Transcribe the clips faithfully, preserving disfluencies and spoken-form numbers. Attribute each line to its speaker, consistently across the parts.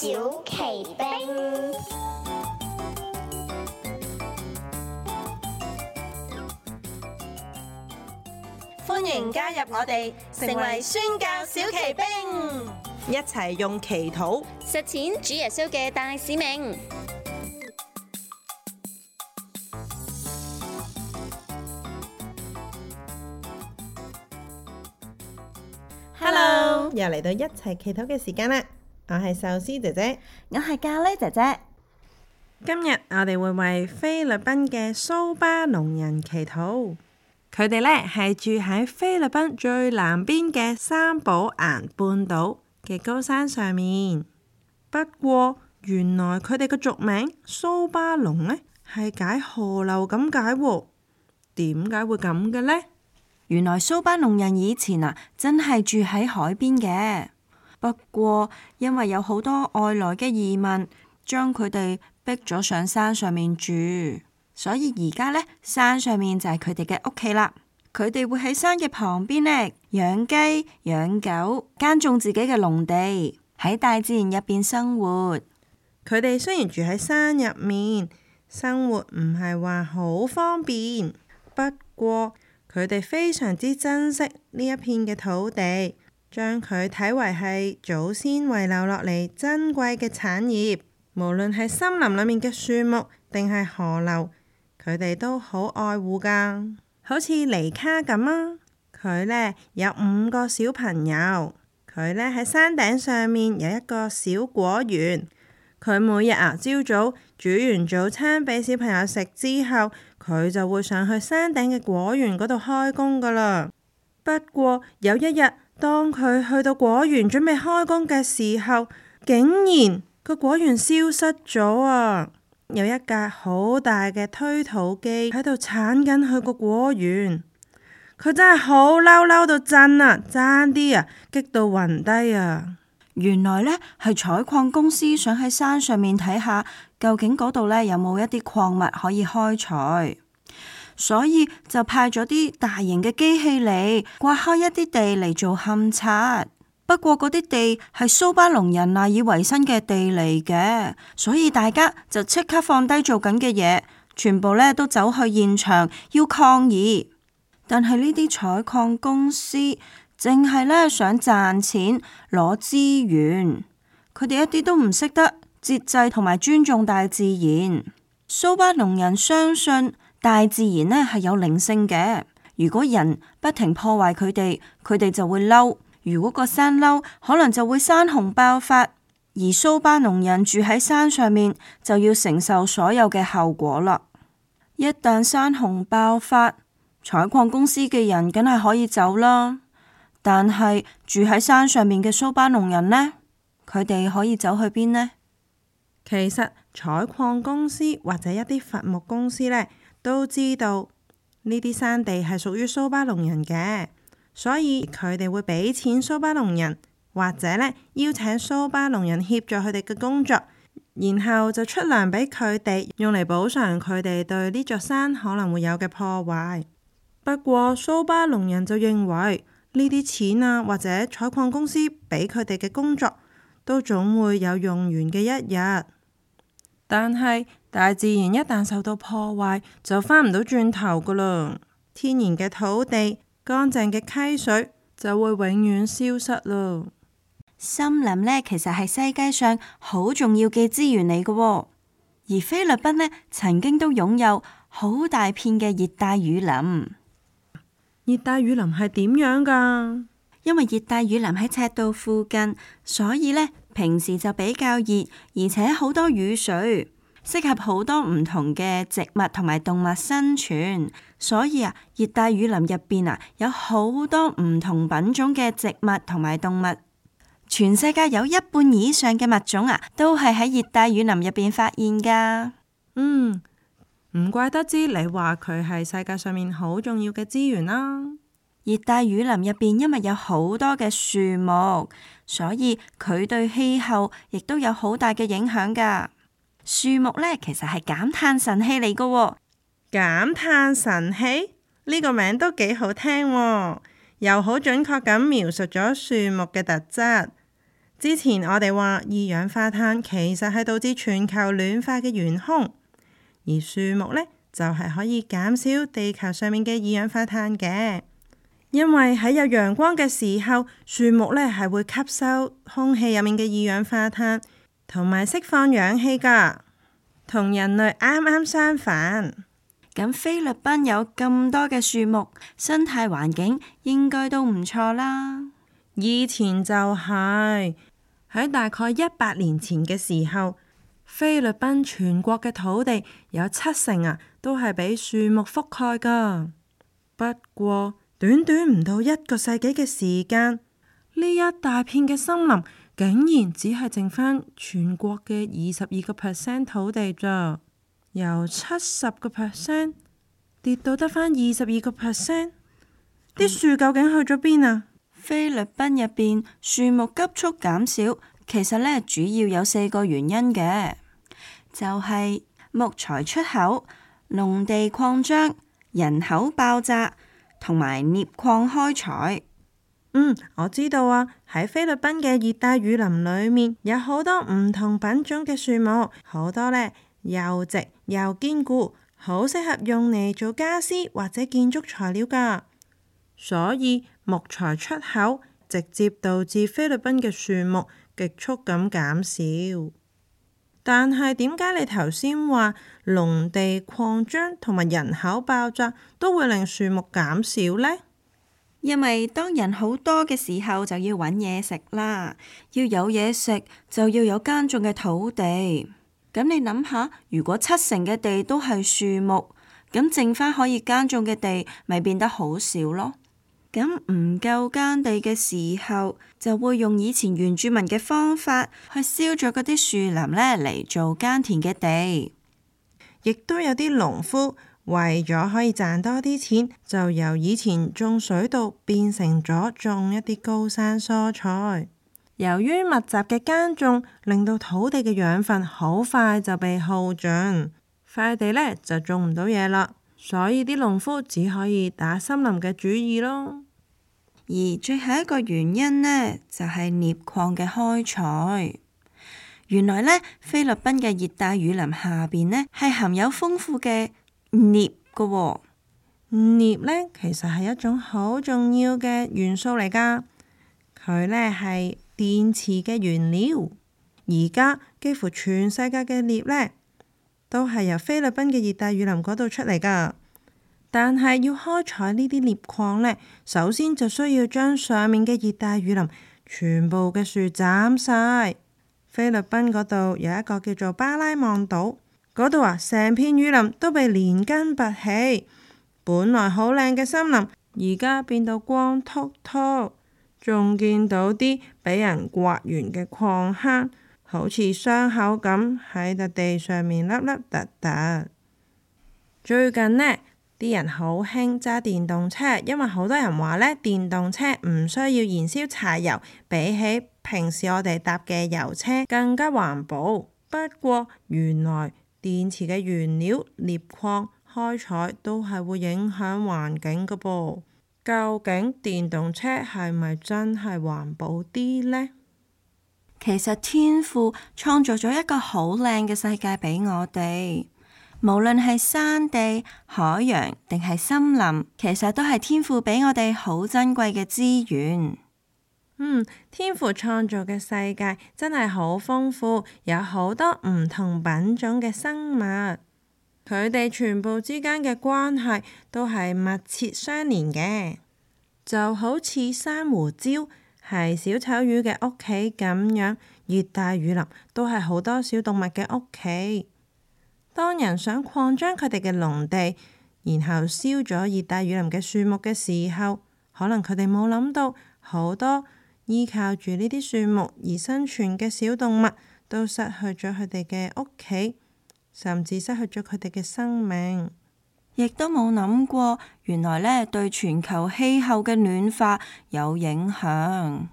Speaker 1: 小奇兵，
Speaker 2: 歡迎加入我哋，成為宣教小奇兵，一齊用祈禱
Speaker 3: 實踐主耶穌嘅大使命。
Speaker 2: Hello，又嚟到一齊祈禱嘅時間啦！我係壽司姐姐，
Speaker 4: 我係咖喱姐姐。
Speaker 2: 今日我哋會為菲律賓嘅蘇巴農人祈禱。佢哋呢係住喺菲律賓最南邊嘅三寶岩半島嘅高山上面。不過原來佢哋嘅俗名蘇巴農呢係解河流咁解喎。點解會咁嘅呢？
Speaker 4: 原來蘇巴農人以前啊，真係住喺海邊嘅。不過因為有好多外來嘅移民，將佢哋逼咗上山上面住，所以而家呢，山上面就係佢哋嘅屋企啦。佢哋會喺山嘅旁邊呢養雞、養狗、耕種自己嘅農地，喺大自然入邊生活。
Speaker 2: 佢哋雖然住喺山入面，生活唔係話好方便，不過佢哋非常之珍惜呢一片嘅土地，將佢睇為係祖先遺留落嚟珍貴嘅產業。無論係森林裏面嘅樹木定係河流，佢哋都好愛護㗎。好似尼卡咁啊，佢呢有五個小朋友，佢呢喺山頂上面有一個小果園。佢每日啊朝早煮完早餐俾小朋友食之後，佢就會上去山頂嘅果園嗰度開工噶啦。不過有一日，當佢去到果園準備開工嘅時候，竟然個果園消失咗啊！有一架好大嘅推土機喺度鏟緊佢個果園，佢真係好嬲，嬲到震啊，爭啲啊激到暈低啊！
Speaker 4: 原來呢係採礦公司想喺山上面睇下，究竟嗰度呢有冇一啲礦物可以開採，所以就派咗啲大型嘅機器嚟刮開一啲地嚟做勘察。不過嗰啲地係蘇巴農人賴以為生嘅地嚟嘅，所以大家就即刻放低做緊嘅嘢，全部呢都走去現場要抗議。但係呢啲採礦公司淨係呢想賺錢攞資源，佢哋一啲都唔識得節制同埋尊重大自然。蘇巴農人相信大自然呢係有靈性嘅，如果人不停破壞佢哋，佢哋就會嬲。如果個山嬲，可能就會山洪爆發，而蘇巴農人住喺山上面，就要承受所有嘅後果啦。一旦山洪爆發，採礦公司嘅人梗係可以走啦。但係住喺山上面嘅蘇巴農人呢？佢哋可以走去邊呢？
Speaker 2: 其實採礦公司或者一啲伐木公司呢，都知道呢啲山地係屬於蘇巴農人嘅。所以佢哋會俾錢蘇巴農人，或者呢邀請蘇巴農人協助佢哋嘅工作，然後就出糧俾佢哋，用嚟補償佢哋對呢座山可能會有嘅破壞。不過蘇巴農人就認為呢啲錢啊，或者採礦公司俾佢哋嘅工作，都總會有用完嘅一日。但係大自然一旦受到破壞，就返唔到轉頭噶啦。天然嘅土地、乾淨嘅溪水就會永遠消失咯。
Speaker 4: 森林呢，其實係世界上好重要嘅資源嚟嘅，而菲律賓呢，曾經都擁有好大片嘅熱帶雨林。
Speaker 2: 熱帶雨林係點樣噶？
Speaker 4: 因為熱帶雨林喺赤道附近，所以呢，平時就比較熱，而且好多雨水，適合好多唔同嘅植物同埋動物生存。所以啊，熱帶雨林入邊啊，有好多唔同品種嘅植物同埋動物。全世界有一半以上嘅物種啊，都係喺熱帶雨林入邊發現噶。
Speaker 2: 嗯，唔怪得知你話佢係世界上面好重要嘅資源啦。
Speaker 4: 熱帶雨林入邊因為有好多嘅樹木，所以佢對氣候亦都有好大嘅影響噶。樹木呢，其實係減碳神器嚟噶喎。
Speaker 2: 減碳神器呢個名都幾好聽喎，又好準確咁描述咗樹木嘅特質。之前我哋話二氧化碳其實係導致全球暖化嘅元兇，而樹木呢，就係可以減少地球上面嘅二氧化碳嘅。因為喺有陽光嘅時候，樹木呢係會吸收空氣入面嘅二氧化碳，同埋釋放氧氣㗎，同人類啱啱相反。
Speaker 4: 咁菲律賓有咁多嘅樹木，生態環境應該都唔錯啦。
Speaker 2: 以前就係喺大概一百年前嘅時候，菲律賓全國嘅土地有七成啊，都係俾樹木覆蓋㗎。不過短短唔到一個世紀嘅時間，呢一大片嘅森林竟然只係剩翻全國嘅二十二個 percent 土地咋，由七十個 percent 跌到得翻二十二個 percent， 啲樹究竟去咗邊啊？
Speaker 4: 菲律賓入邊樹木急速減少，其實呢主要有四個原因嘅，就係木材出口、農地擴張、人口爆炸同埋鎳礦開採。
Speaker 2: 嗯，我知道啊，喺菲律賓嘅熱帶雨林裏面有好多唔同品種嘅樹木，好多呢又直又堅固，好適合用嚟做家私或者建築材料㗎。所以木材出口直接導致菲律賓嘅樹木極速咁減少。但係點解你頭先話農地擴張同埋人口爆炸都會令樹木減少呢？
Speaker 4: 因為當人好多嘅時候就要揾嘢食啦，要有嘢食就要有耕種嘅土地。咁你諗下，如果七成嘅地都係樹木，咁剩翻可以耕種嘅地咪變得好少咯。咁唔夠耕地嘅時候，就會用以前原住民嘅方法去燒咗嗰啲樹林呢嚟做耕田嘅地。
Speaker 2: 亦都有啲農夫為咗可以賺多啲錢，就由以前種水稻變成咗種一啲高山蔬菜。由於密集嘅耕種，令到土地嘅養分好快就被耗盡，塊地呢就種唔到嘢啦。所以啲農夫只可以打森林嘅主意咯。
Speaker 4: 而最後一個原因呢，就係鎳礦嘅開採。原來呢，菲律賓嘅熱帶雨林下邊呢，係含有豐富嘅鎳㗎喎。
Speaker 2: 鎳呢，其實係一種好重要嘅元素嚟㗎，佢呢係電池嘅原料。而家幾乎全世界嘅鎳呢，都係由菲律賓嘅熱帶雨林嗰度出嚟㗎。但係要開採呢啲鎳礦呢，首先就需要將上面嘅熱帶雨林全部嘅樹斬晒。菲律賓嗰度有一個叫做巴拉望島，嗰度啊，成片雨林都被連根拔起，本來好靚嘅森林，而家變到光禿禿，仲見到啲俾人刮完嘅礦坑，好似傷口咁喺笪地上面凹凹凸凸。最近呢，啲人好興揸電動車，因為好多人話呢，電動車唔需要燃燒柴油，比起平時我哋搭嘅油車更加環保。不過原來電池嘅原料鎳礦開採都係會影響環境㗎噃。究竟電動車係咪真係環保啲呢？
Speaker 4: 其實天父創造咗一個好靚嘅世界俾我哋。無論係山地、海洋定係森林，其實都係天父俾我哋好珍貴嘅資源。
Speaker 2: 嗯，天父創造嘅世界真係好豐富，有好多唔同品種嘅生物，佢哋全部之間嘅關係都係密切相連嘅，就好似珊瑚礁係小丑魚嘅屋企咁樣，熱帶雨林都係好多小動物嘅屋企。當人想擴張佢哋嘅農地，然後燒咗熱帶雨林嘅樹木嘅時候，可能佢哋冇諗到好多依靠住呢啲樹木而生存嘅小動物都失去咗佢哋嘅屋企，甚至失去咗佢哋嘅生命。
Speaker 4: 亦都冇諗過，原來呢對全球氣候嘅暖化有影響。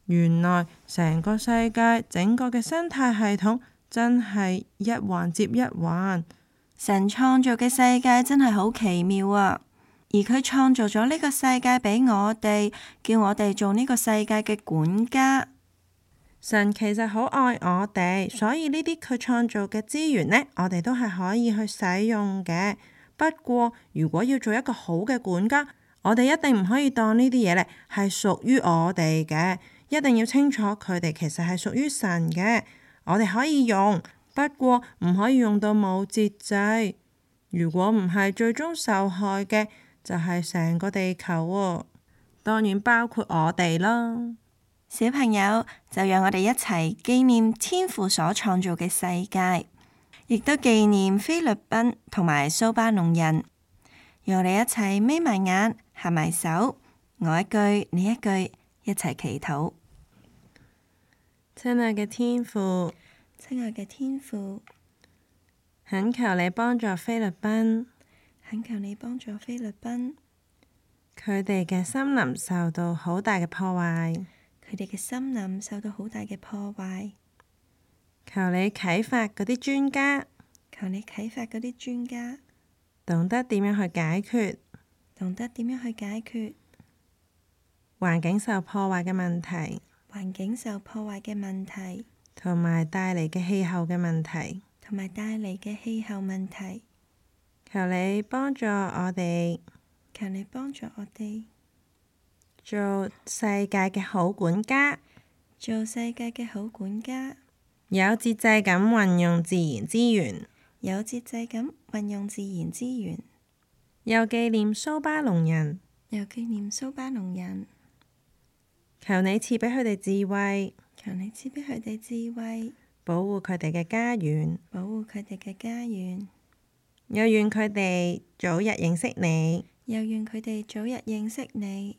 Speaker 2: 原來成個世界整個嘅生態系統真係一環接一環。
Speaker 4: 神創造嘅世界真係好奇妙啊！而佢創造咗呢個世界俾我哋，叫我哋做呢個世界嘅管家。
Speaker 2: 神其實好愛我哋，所以呢啲佢創造嘅資源呢，我哋都係可以去使用嘅。不過如果要做一個好嘅管家，我哋一定唔可以當呢啲嘢呢係屬於我哋嘅，一定要清楚佢哋其實係屬於神嘅。我哋可以用，不過唔可以用到冇節制。如果唔係，最終受害嘅就係成個地球喎，當然包括我哋啦。
Speaker 4: 小朋友，就讓我哋一齊紀念天父所創造嘅世界，亦都紀念菲律賓同埋蘇巴農人。讓我哋一齊眯埋眼，合埋手，我一句你一句，一齊祈禱。
Speaker 2: 親愛嘅天父，
Speaker 4: 親愛嘅天父，
Speaker 2: 懇求你幫助菲律賓，
Speaker 4: 懇求你幫助菲律賓，
Speaker 2: 佢哋嘅森林受到好大嘅破壞。
Speaker 4: 佢哋嘅森林受到好大嘅破壞，
Speaker 2: 求你啟發嗰啲專家，
Speaker 4: 求你啟發嗰啲專家，
Speaker 2: 懂得點樣去解決，
Speaker 4: 懂得點樣去解決
Speaker 2: 環境受破壞嘅問題，
Speaker 4: 環境受破壞嘅問題，
Speaker 2: 同埋帶嚟嘅氣候嘅問題，
Speaker 4: 同埋帶嚟嘅氣候問題。
Speaker 2: 求你幫助我哋，
Speaker 4: 求你幫助我哋
Speaker 2: 做世界嘅好管家，
Speaker 4: 做世界嘅好管家，
Speaker 2: 有節制咁運用自然資源，
Speaker 4: 有節制咁運用自然資源，
Speaker 2: 又紀念蘇巴農人，
Speaker 4: 又紀念蘇巴農人。
Speaker 2: 求你賜俾佢哋智慧，
Speaker 4: 求你賜俾佢哋智慧，
Speaker 2: 保護佢哋嘅家園，
Speaker 4: 保護佢哋嘅家園。
Speaker 2: 又願佢哋早日認識你，
Speaker 4: 又願佢哋早日認識你，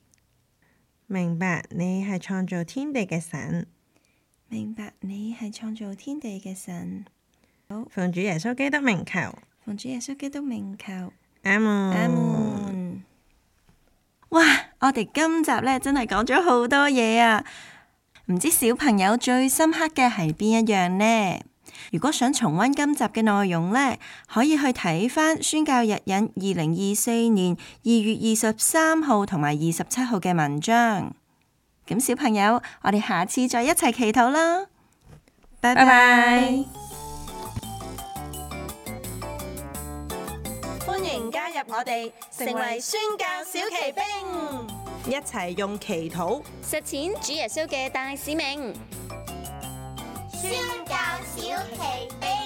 Speaker 2: 明白你係創造天地嘅神，
Speaker 4: 明白你係創造天地嘅神。好，
Speaker 2: 奉主耶穌基督名求，
Speaker 4: 奉主耶穌基督名求，
Speaker 2: 阿門。
Speaker 4: 阿門。哇！我哋今集呢真係講咗好多嘢啊！唔知小朋友最深刻嘅係邊一樣呢？如果想重溫今集嘅內容呢，可以去睇返宣教日引二零二四年二月二十三號同埋二十七號嘅文章。咁小朋友，我哋下次再一齊祈禱啦！拜拜。
Speaker 3: 歡迎加入我哋，成為宣教小騎兵，
Speaker 2: 一齊用祈禱
Speaker 3: 實踐主耶穌嘅大使命。
Speaker 1: 宣教小奇兵。